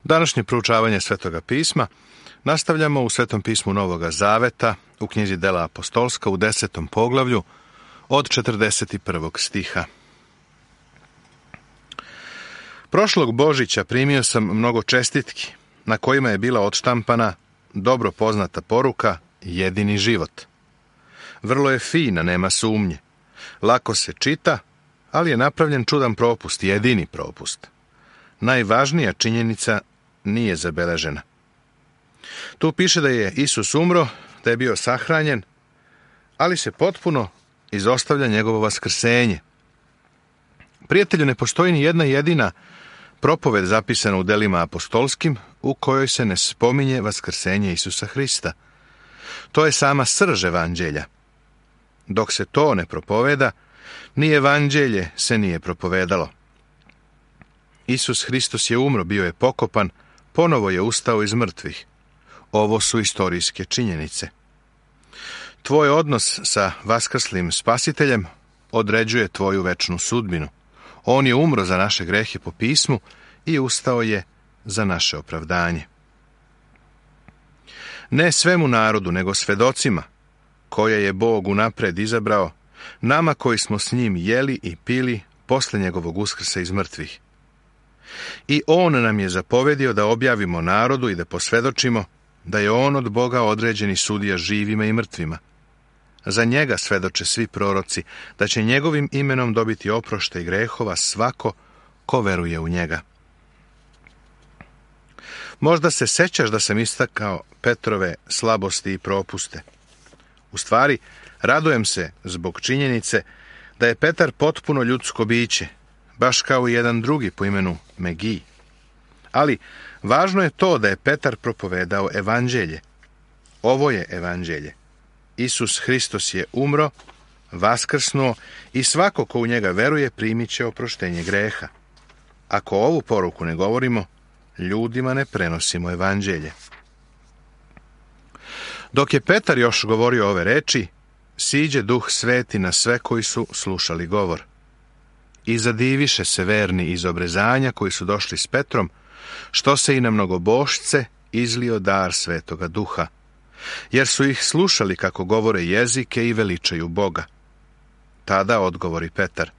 Današnje proučavanje Svetoga pisma nastavljamo u Svetom pismu Novoga Zaveta, u knjizi Dela apostolska u 10. poglavlju od 41. stiha. Prošlog Božića primio sam mnogo čestitki, na kojima je bila odštampana dobro poznata poruka jedini život. Vrlo je fina, nema sumnje. Lako se čita, ali je napravljen čudan propust, jedini propust. Najvažnija činjenica nije zabeležena. Tu piše da je Isus umro, da je bio sahranjen, ali se potpuno izostavlja njegovo vaskrsenje. Prijatelju, ne postoji ni jedna jedina propoved zapisana u delima apostolskim u kojoj se ne spominje vaskrsenje Isusa Hrista. To je sama srž evanđelja. Dok se to ne propoveda, ni evanđelje se nije propovedalo. Isus Hristos je umro, bio je pokopan, ponovo je ustao iz mrtvih. Ovo su istorijske činjenice. Tvoj odnos sa vaskrslim spasiteljem određuje tvoju večnu sudbinu. On je umro za naše grehe po pismu i ustao je za naše opravdanje. Ne svemu narodu, nego svedocima, koje je Bog unapred izabrao, nama koji smo s njim jeli i pili posle njegovog uskrsa iz mrtvih. I on nam je zapovedio da objavimo narodu i da posvedočimo da je on od Boga određeni sudija živima i mrtvima. Za njega svedoče svi proroci da će njegovim imenom dobiti oproštaj grehova svako ko veruje u njega. Možda se sećaš da sam istakao Petrove slabosti i propuste. U stvari, radujem se zbog činjenice da je Petar potpuno ljudsko biće, baš kao i jedan drugi po imenu Megij. Ali važno je to da je Petar propovedao evanđelje. Ovo je evanđelje. Isus Hristos je umro, vaskrsnuo i svako ko u njega veruje primit će oproštenje greha. Ako ovu poruku ne govorimo, ljudima ne prenosimo evanđelje. Dok je Petar još govorio ove reči, siđe Duh Sveti na sve koji su slušali govor. I zadiviše se verni iz obrezanja koji su došli s Petrom, što se i na mnogobošce izlio dar Svetoga Duha, jer su ih slušali kako govore jezike i veličaju Boga. Tada odgovori Petar: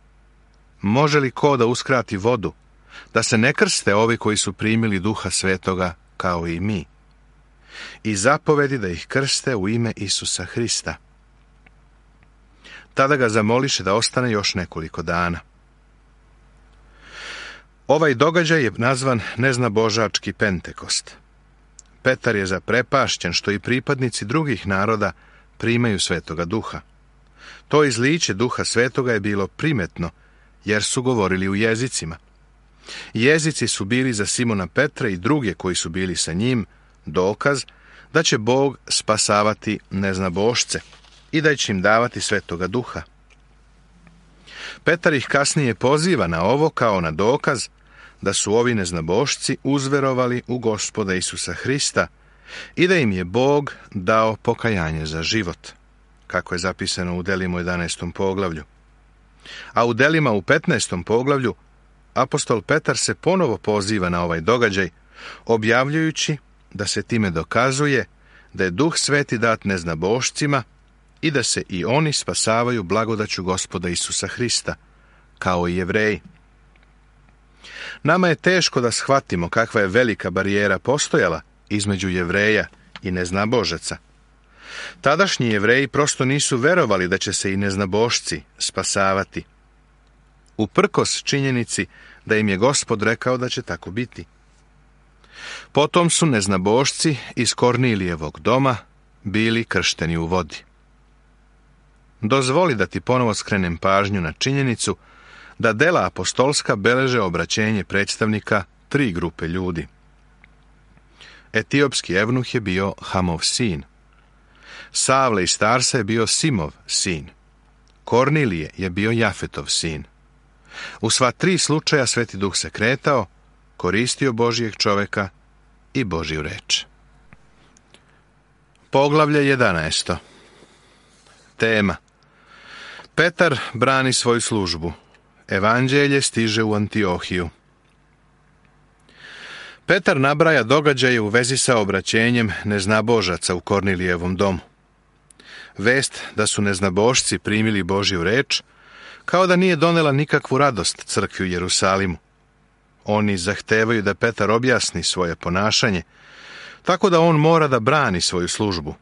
može li ko da uskrati vodu, da se ne krste ovi koji su primili Duha Svetoga kao i mi? I zapovedi da ih krste u ime Isusa Hrista. Tada ga zamoliše da ostane još nekoliko dana. Ovaj događaj je nazvan neznabožački Pentekost. Petar je zaprepašćen što i pripadnici drugih naroda primaju Svetoga Duha. To izliće Duha Svetoga je bilo primetno, jer su govorili u jezicima. Jezici su bili za Simona Petra i druge koji su bili sa njim dokaz da će Bog spasavati neznabošce i da će im davati Svetoga Duha. Petar ih kasnije poziva na ovo kao na dokaz da su ovi neznabošci uzverovali u Gospoda Isusa Hrista i da im je Bog dao pokajanje za život, kako je zapisano u Delima u 11. poglavlju. A u Delima u 15. poglavlju apostol Petar se ponovo poziva na ovaj događaj, objavljujući da se time dokazuje da je Duh Sveti dat neznabošcima i da se i oni spasavaju blagodaću Gospoda Isusa Hrista, kao i Jevreji. Nama je teško da shvatimo kakva je velika barijera postojala između Jevreja i neznabožaca. Tadašnji Jevreji prosto nisu verovali da će se i neznabošci spasavati, uprkos činjenici da im je Gospod rekao da će tako biti. Potom su neznabošci iz Kornilijevog doma bili kršteni u vodi. Dozvoli da ti ponovo skrenem pažnju na činjenicu da dela apostolska beleže obraćenje predstavnika 3 grupe ljudi. Etiopski evnuh je bio Hamov sin. Savle iz Tarsa je bio Simov sin. Kornilije je bio Jafetov sin. U sva 3 slučaja Sveti Duh se kretao, koristio Božijeg čoveka i Božju reč. Poglavlje 11. Tema: Petar brani svoju službu. Evanđelje stiže u Antiohiju. Petar nabraja događaje u vezi sa obraćenjem neznabožaca u Kornilijevom domu. Vest da su neznabošci primili Božju reč, kao da nije donela nikakvu radost crkvi u Jerusalimu. Oni zahtevaju da Petar objasni svoje ponašanje, tako da on mora da brani svoju službu,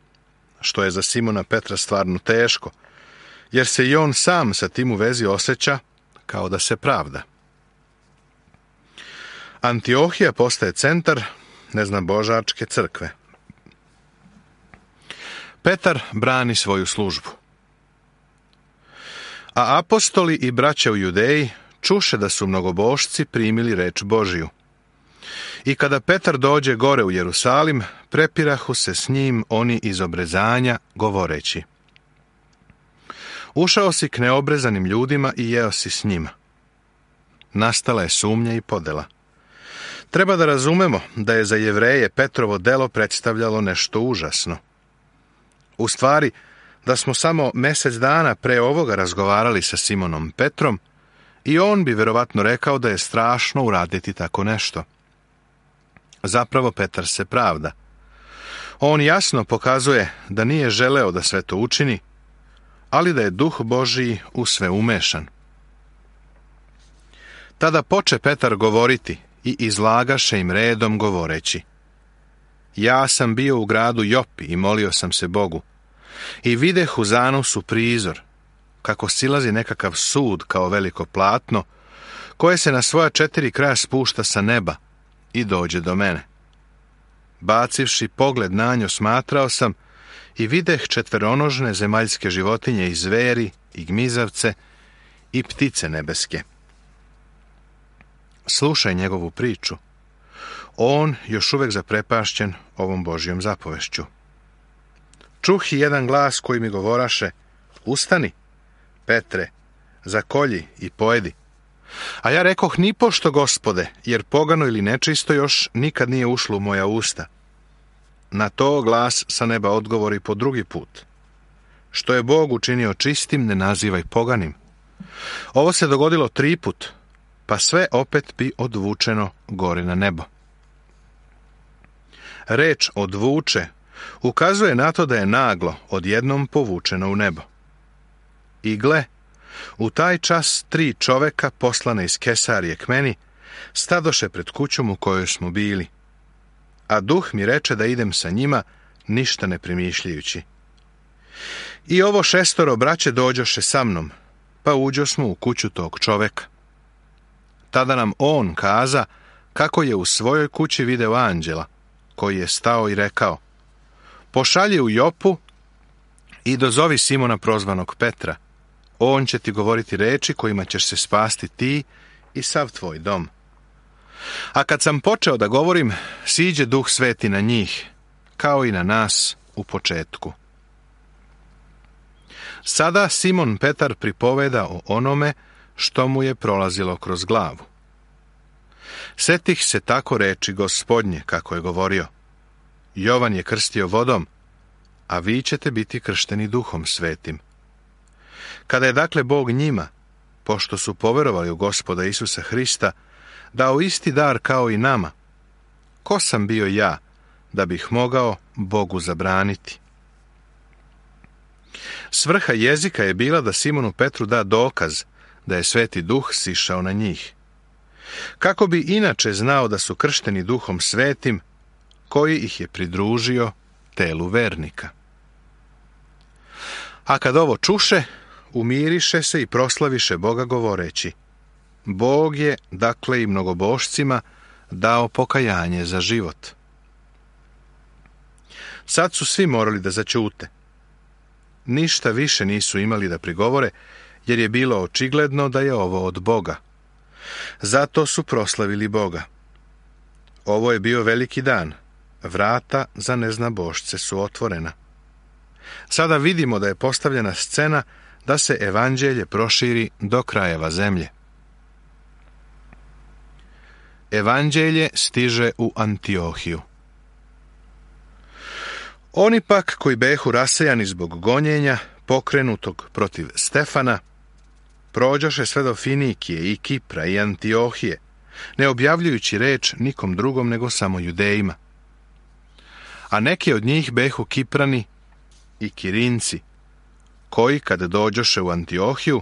što je za Simona Petra stvarno teško, jer se i on sam sa tim u vezi osjeća kao da se pravda. Antiohija postaje centar neznabožačke crkve. Petar brani svoju službu. A apostoli i braća u Judeji čuše da su mnogobošci primili reč Božiju. I kada Petar dođe gore u Jerusalim, prepirahu se s njim oni iz obrezanja, govoreći: ušao si k neobrezanim ljudima i jeo si s njima. Nastala je sumnja i podela. Treba da razumemo da je za Jevreje Petrovo delo predstavljalo nešto užasno. U stvari, da smo samo mjesec dana pre ovoga razgovarali sa Simonom Petrom, i on bi verovatno rekao da je strašno uraditi tako nešto. Zapravo Petar se pravda. On jasno pokazuje da nije želeo da sve to učini, ali da je Duh Božiji u sve umešan. Tada poče Petar govoriti i izlagaše im redom govoreći: ja sam bio u gradu Jopi i molio sam se Bogu, i videh u zanosu prizor, kako silazi nekakav sud kao veliko platno, koje se na svoja 4 kraja spušta sa neba i dođe do mene. Bacivši pogled na njo, smatrao sam i videh 4 zemaljske životinje i zveri i gmizavce i ptice nebeske. Slušaj njegovu priču. On još uvek zaprepašćen ovom Božjom zapovešću. Čuh i jedan glas koji mi govoraše: ustani, Petre, zakolji i pojedi. A ja rekoh: nipošto, Gospode, jer pogano ili nečisto još nikad nije ušlo u moja usta. Na to glas sa neba odgovori po drugi put: što je Bog učinio čistim, ne nazivaj poganim. Ovo se dogodilo 3 put, pa sve opet bi odvučeno gore na nebo. Reč odvuče ukazuje na to da je naglo odjednom povučeno u nebo. I gle, u taj čas 3 čoveka poslane iz Kesarije k meni stadoše pred kućom u kojoj smo bili, a Duh mi reče da idem sa njima, ništa ne primišljajući. I ovo 6 braće dođoše sa mnom, pa uđo smo u kuću tog čoveka. Tada nam on kaza kako je u svojoj kući video anđela, koji je stao i rekao: pošalji u Jopu i dozovi Simona prozvanog Petra. On će ti govoriti reči kojima ćeš se spasti ti i sav tvoj dom. A kad sam počeo da govorim, siđe Duh Sveti na njih, kao i na nas u početku. Sada Simon Petar pripoveda o onome što mu je prolazilo kroz glavu. Setih se tako reči Gospodnje, kako je govorio: Jovan je krstio vodom, a vi ćete biti kršteni Duhom Svetim. Kada je dakle Bog njima, pošto su poverovali u Gospoda Isusa Hrista, dao isti dar kao i nama, ko sam bio ja da bih mogao Bogu zabraniti? Svrha jezika je bila da Simonu Petru da dokaz da je Sveti Duh sišao na njih. Kako bi inače znao da su kršteni Duhom Svetim, koji ih je pridružio telu vernika. A kad ovo čuše, umiriše se i proslaviše Boga govoreći: Bog je, dakle, i mnogobošcima dao pokajanje za život. Sad su svi morali da zaćute. Ništa više nisu imali da prigovore, jer je bilo očigledno da je ovo od Boga. Zato su proslavili Boga. Ovo je bio veliki dan. Vrata za neznabošce su otvorena. Sada vidimo da je postavljena scena da se evanđelje proširi do krajeva zemlje. Evanđelje stiže u Antiohiju. Oni pak koji behu rasejani zbog gonjenja pokrenutog protiv Stefana, prođoše sve do Finikije i Kipra i Antiohije, ne objavljujući reč nikom drugom nego samo Judejima. A neki od njih behu Kiprani i Kirinci, koji, kad dođoše u Antiohiju,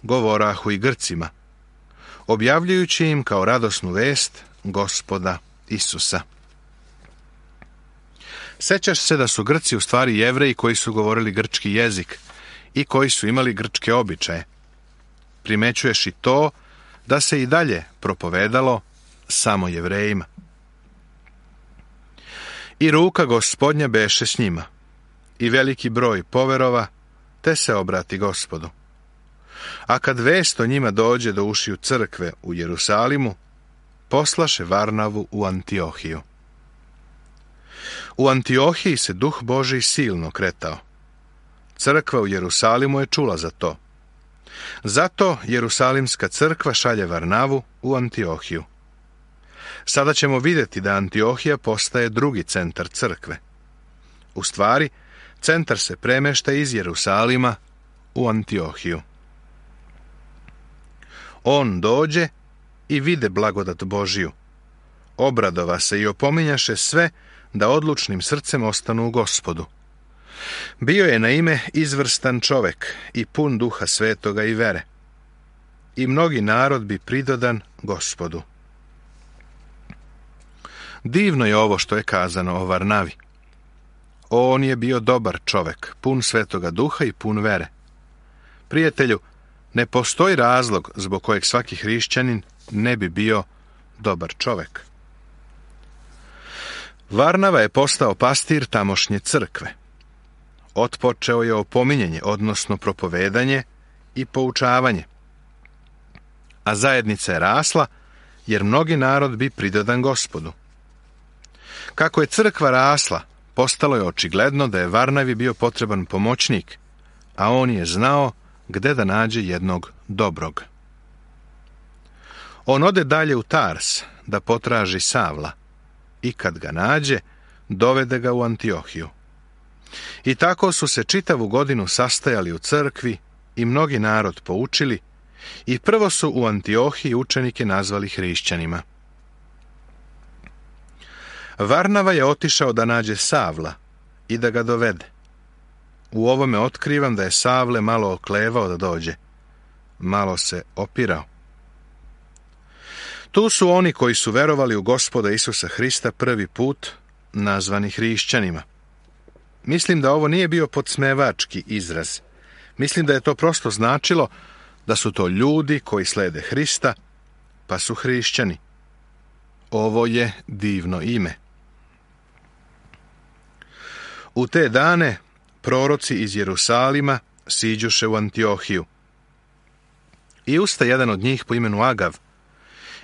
govorahu i Grcima, objavljujući im kao radosnu vest Gospoda Isusa. Sećaš se da su Grci u stvari Jevreji koji su govorili grčki jezik i koji su imali grčke običaje. Primećuješ i to da se i dalje propovedalo samo Jevrejima. I ruka Gospodnja beše s njima, i veliki broj poverova, te se obrati Gospodu. A kad vest o njima dođe do ušiju crkve u Jerusalimu, poslaše Varnavu u Antiohiju. U Antiohiji se Duh Božji silno kretao. Crkva u Jerusalimu je čula za to. Zato Jerusalimska crkva šalje Varnavu u Antiohiju. Sada ćemo vidjeti da Antiohija postaje drugi centar crkve. U stvari, centar se premešta iz Jerusalima u Antiohiju. On dođe i vide blagodat Božiju. Obradova se i opominjaše sve da odlučnim srcem ostanu u Gospodu. Bio je na ime izvrstan čovek i pun Duha Svetoga i vere. I mnogi narod bi pridodan Gospodu. Divno je ovo što je kazano o Varnavi. On je bio dobar čovek, pun Svetoga Duha i pun vere. Prijatelju, ne postoji razlog zbog kojeg svaki hrišćanin ne bi bio dobar čovek. Varnava je postao pastir tamošnje crkve. Otpočeo je opominjanje, odnosno propovedanje i poučavanje. A zajednica je rasla, jer mnogi narod bi pridodan Gospodu. Kako je crkva rasla, postalo je očigledno da je Varnavi bio potreban pomoćnik, a on je znao gde da nađe jednog dobrog. On ode dalje u Tars da potraži Savla i kad ga nađe, dovede ga u Antiohiju. I tako su se čitavu godinu sastajali u crkvi i mnogi narod poučili i prvo su u Antiohiji učenike nazvali hrišćanima. Varnava je otišao da nađe Savla i da ga dovede. U ovome otkrivam da je Savle malo oklevao da dođe. Malo se opirao. Tu su oni koji su verovali u Gospoda Isusa Hrista prvi put, nazvani hrišćanima. Mislim da ovo nije bio podsmevački izraz. Mislim da je to prosto značilo da su to ljudi koji slede Hrista, pa su hrišćani. Ovo je divno ime. U te dane proroci iz Jerusalima siđuše u Antiohiju. I usta jedan od njih po imenu Agav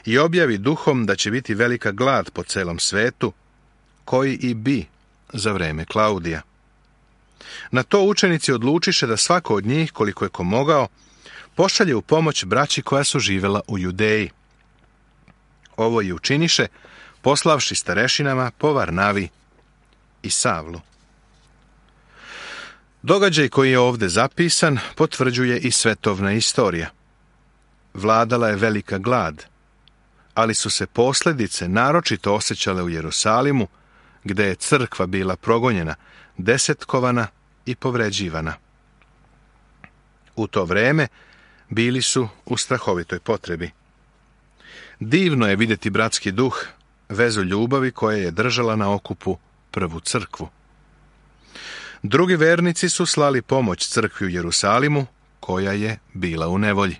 i objavi duhom da će biti velika glad po celom svetu, koji i bi za vreme Klaudija. Na to učenici odlučiše da svako od njih, koliko je ko mogao, pošalje u pomoć braći koja su živela u Judeji. Ovo i učiniše, poslavši starešinama po Varnavi i Savlu. Događaj koji je ovdje zapisan potvrđuje i svetovna istorija. Vladala je velika glad, ali su se posljedice naročito osjećale u Jerusalimu, gde je crkva bila progonjena, desetkovana i povređivana. U to vreme bili su u strahovitoj potrebi. Divno je vidjeti bratski duh, vezu ljubavi koja je držala na okupu prvu crkvu. Drugi vernici su slali pomoć crkvi u Jerusalimu, koja je bila u nevolji.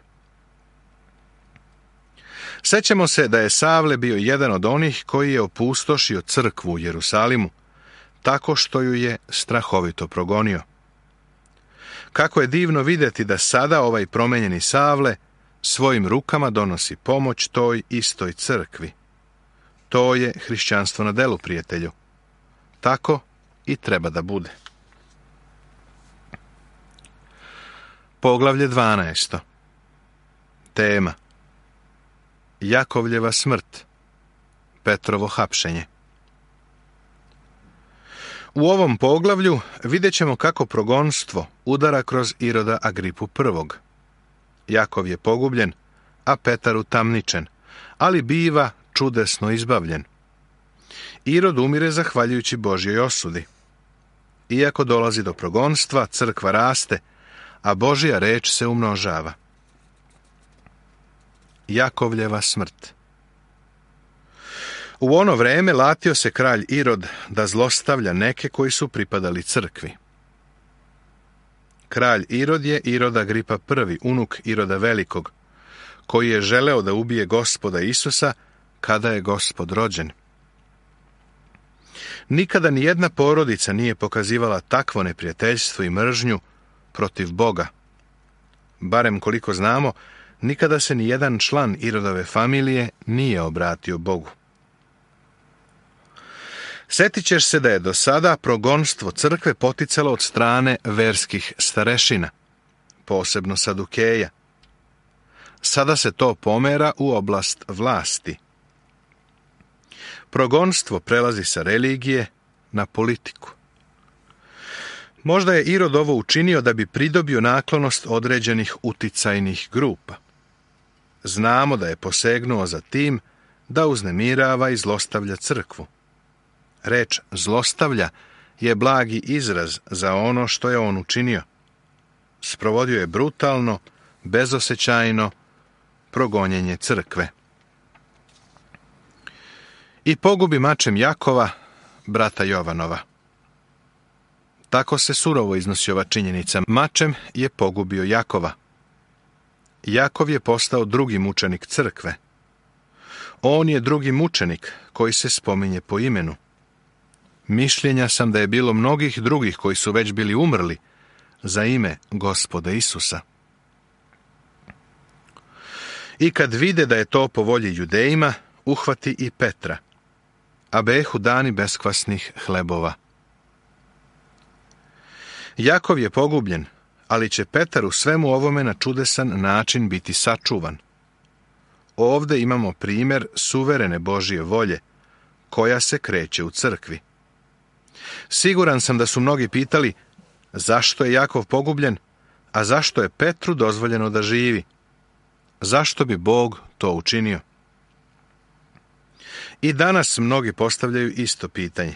Sećamo se da je Savle bio jedan od onih koji je opustošio crkvu u Jerusalimu, tako što ju je strahovito progonio. Kako je divno vidjeti da sada ovaj promenjeni Savle svojim rukama donosi pomoć toj istoj crkvi. To je hrišćanstvo na delu, prijatelju. Tako i treba da bude. Poglavlje 12. Tema: Jakovljeva smrt, Petrovo hapšenje. U ovom poglavlju vidjet ćemo kako progonstvo udara kroz Iroda Agripu I. Jakov je pogubljen, a Petar utamničen, ali biva čudesno izbavljen. Irod umire zahvaljujući Božjoj osudi. Iako dolazi do progonstva, crkva raste, a Božja reč se umnožava. Jakovljeva smrt. U ono vreme latio se kralj Irod da zlostavlja neke koji su pripadali crkvi. Kralj Irod je Irod Agripa I, unuk Iroda Velikog, koji je želeo da ubije Gospoda Isusa kada je Gospod rođen. Nikada ni jedna porodica nije pokazivala takvo neprijateljstvo i mržnju protiv Boga. Barem koliko znamo, nikada se ni jedan član Irodove familije nije obratio Bogu. Sjetit ćeš se da je do sada progonstvo crkve poticalo od strane verskih starešina, posebno Sadukeja. Sada se to pomera u oblast vlasti. Progonstvo prelazi sa religije na politiku. Možda je Irod ovo učinio da bi pridobio naklonost određenih uticajnih grupa. Znamo da je posegnuo za tim da uznemirava i zlostavlja crkvu. Reč zlostavlja je blagi izraz za ono što je on učinio. Sprovodio je brutalno, bezosećajno progonjenje crkve. I pogubi mačem Jakova, brata Jovanova. Tako se surovo iznosi ova činjenica. Mačem je pogubio Jakova. Jakov je postao drugi mučenik crkve. On je drugi mučenik koji se spominje po imenu. Mišljenja sam da je bilo mnogih drugih koji su već bili umrli za ime Gospoda Isusa. I kad vide da je to po volji Judejima, uhvati i Petra, a behu dani beskvasnih hlebova. Jakov je pogubljen, ali će Petar u svemu ovome na čudesan način biti sačuvan. Ovde imamo primjer suverene Božje volje, koja se kreće u crkvi. Siguran sam da su mnogi pitali zašto je Jakov pogubljen, a zašto je Petru dozvoljeno da živi. Zašto bi Bog to učinio? I danas mnogi postavljaju isto pitanje.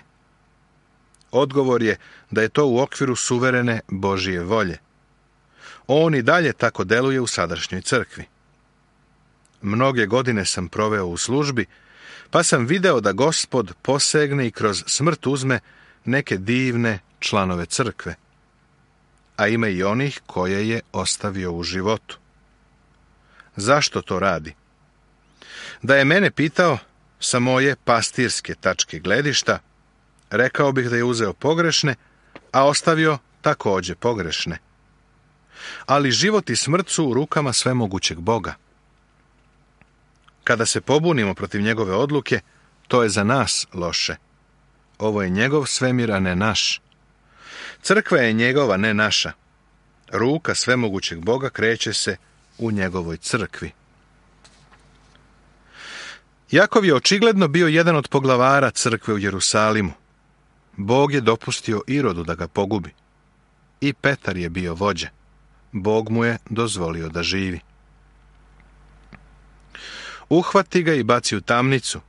Odgovor je da je to u okviru suverene Božje volje. On i dalje tako deluje u sadašnjoj crkvi. Mnoge godine sam proveo u službi, pa sam video da Gospod posegne i kroz smrt uzme neke divne članove crkve, a ima i onih koje je ostavio u životu. Zašto to radi? Da je mene pitao sa moje pastirske tačke gledišta, rekao bih da je uzeo pogrešne, a ostavio također pogrešne. Ali život i smrt su u rukama svemogućeg Boga. Kada se pobunimo protiv njegove odluke, to je za nas loše. Ovo je njegov svemir, a ne naš. Crkva je njegova, ne naša. Ruka svemogućeg Boga kreće se u njegovoj crkvi. Jakov je očigledno bio jedan od poglavara crkve u Jerusalimu. Bog je dopustio Irodu da ga pogubi. I Petar je bio vođa. Bog mu je dozvolio da živi. Uhvati ga i baci u tamnicu.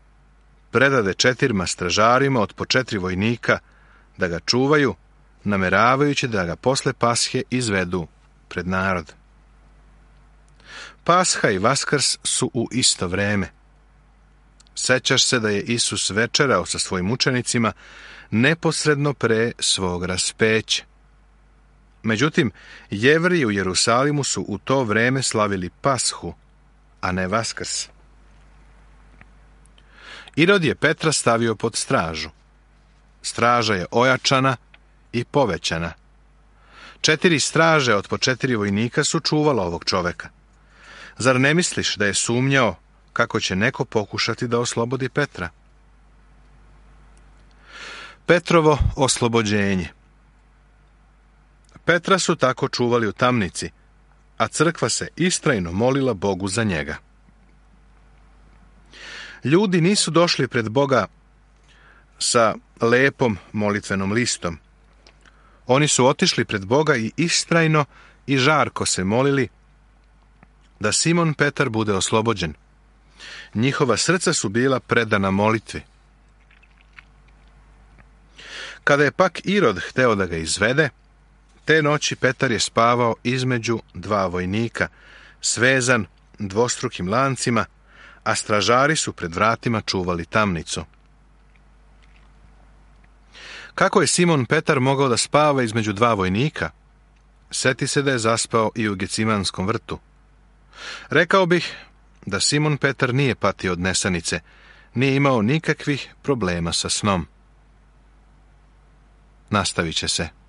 Predade 4 stražarima od po 4 vojnika da ga čuvaju, nameravajući da ga posle Pashe izvedu pred narod. Pasha i Vaskrs su u isto vreme. Sećaš se da je Isus večerao sa svojim učenicima neposredno pre svog raspeća. Međutim, Jevriji u Jerusalimu su u to vreme slavili Pashu, a ne Vaskrs. Irod je Petra stavio pod stražu. Straža je ojačana i povećana. 4 straže od po 4 vojnika su čuvala ovog čoveka. Zar ne misliš da je sumnjao kako će neko pokušati da oslobodi Petra? Petrovo oslobođenje. Petra su tako čuvali u tamnici, a crkva se istrajno molila Bogu za njega. Ljudi nisu došli pred Boga sa lepom molitvenom listom. Oni su otišli pred Boga i istrajno i žarko se molili da Simon Petar bude oslobođen. Njihova srca su bila predana molitvi. Kada je pak Irod hteo da ga izvede, te noći Petar je spavao između dva vojnika, svezan dvostrukim lancima, a stražari su pred vratima čuvali tamnicu. Kako je Simon Petar mogao da spava između dva vojnika? Seti se da je zaspao i u Gecimanskom vrtu. Rekao bih da Simon Petar nije patio od nesanice, nije imao nikakvih problema sa snom. Nastavit će se.